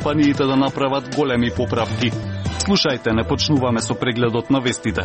компаниите да направат големи поправки. Слушајте, не почнуваме со прегледот на вестите.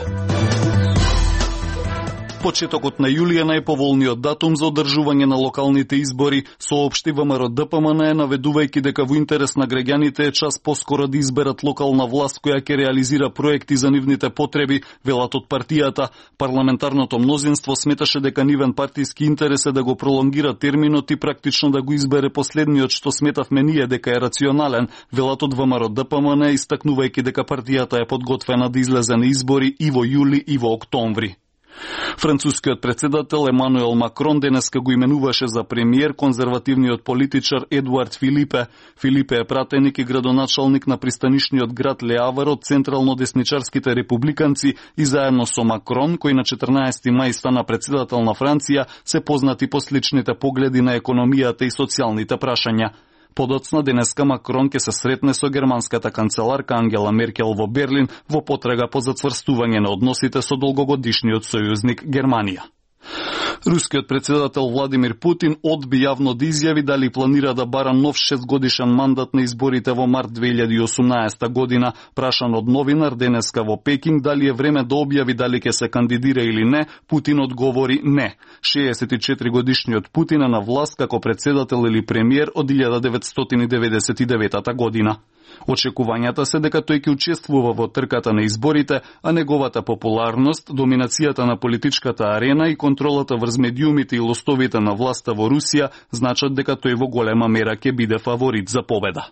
Почетокот на јули е најповолниот датум за одржување на локалните избори, соопшти ВМРО-ДПМН, наведувајќи дека во интерес на граѓаните е час поскоро да изберат локална власт која ќе реализира проекти за нивните потреби, велат од партијата. Парламентарното мнозинство сметаше дека нивен партиски интерес е да го пролонгира терминот и практично да го избере последниот што сметавме ние дека е рационален, велат од ВМРО-ДПМН, истакнувајќи дека партијата е подготвена да излезе на избори и во јули и во октомври. Францускиот председател Емануел Макрон денеска го именуваше за премиер конзервативниот политичар Едуард Филипе. Филипе е пратеник и градоначалник на пристанишниот град Ле Авар од централно-десничарските републиканци и заедно со Макрон, кој на 14 мај стана председател на Франција, се познати по сличните погледи на економијата и социјалните прашања. Подоцна денеска Макрон ќе се сретне со германската канцеларка Ангела Меркел во Берлин во потрага по зацврстување на односите со долгогодишниот сојузник Германија. Рускиот председател Владимир Путин одби јавно да изјави дали планира да бара нов 6-годишен мандат на изборите во март 2018 година. Прашан од новинар денеска во Пекинг дали е време да објави дали ќе се кандидира или не, Путин одговори не. 64-годишниот Путин е на власт како председател или премиер од 1999 година. Очекувањата се дека тој ќе учествува во трката на изборите, а неговата популарност, доминацијата на политичката арена и контролата врз медиумите и лостовите на власта во Русија значат дека тој во голема мера ќе биде фаворит за победа.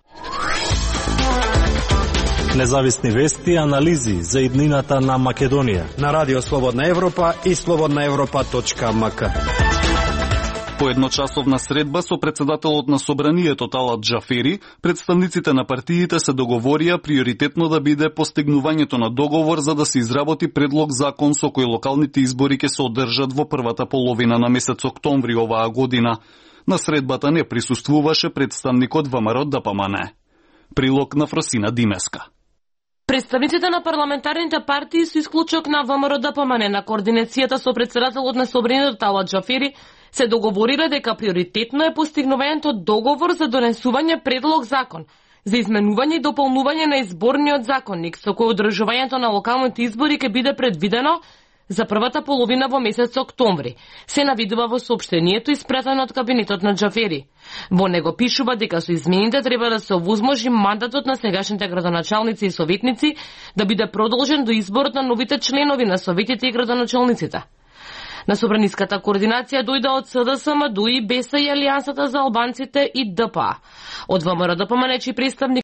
Независни вести и анализи за иднината на Македонија на Радио Слободна Европа и slobodnaevropa.mk. По едночасовна средба со председателот на Собранието Талат Џафери, представниците на партиите се договорија приоритетно да биде постигнувањето на договор за да се изработи предлог закон со кој локалните избори ќе се одржат во првата половина на месец октомври оваа година. На средбата не присуствуваше представникот ВМРО-ДПМН. Прилог на Фросина Димеска. Представниците на парламентарните партии со исклучок на ВМРО-ДПМН на координацијата со председателот на Собранието Талат Џафери се договорира дека приоритетно е постигнувањето договор за донесување предлог закон за изменување и дополнување на изборниот законник со кој одржувањето на локалните избори ќе биде предвидено за првата половина во месец октомври. Се навидува во соопштението испратено од кабинетот на Џафери. Во него пишува дека со измените треба да се овозможи мандатот на сегашните градоначалници и советници да биде продолжен до изборот на новите членови на советите и градоначалниците. На собраниската координација дојде од СДСМ, ДУИ, БЕСА и Алијансата за албанците и ДПА. Од ВМРО-ДПМН представник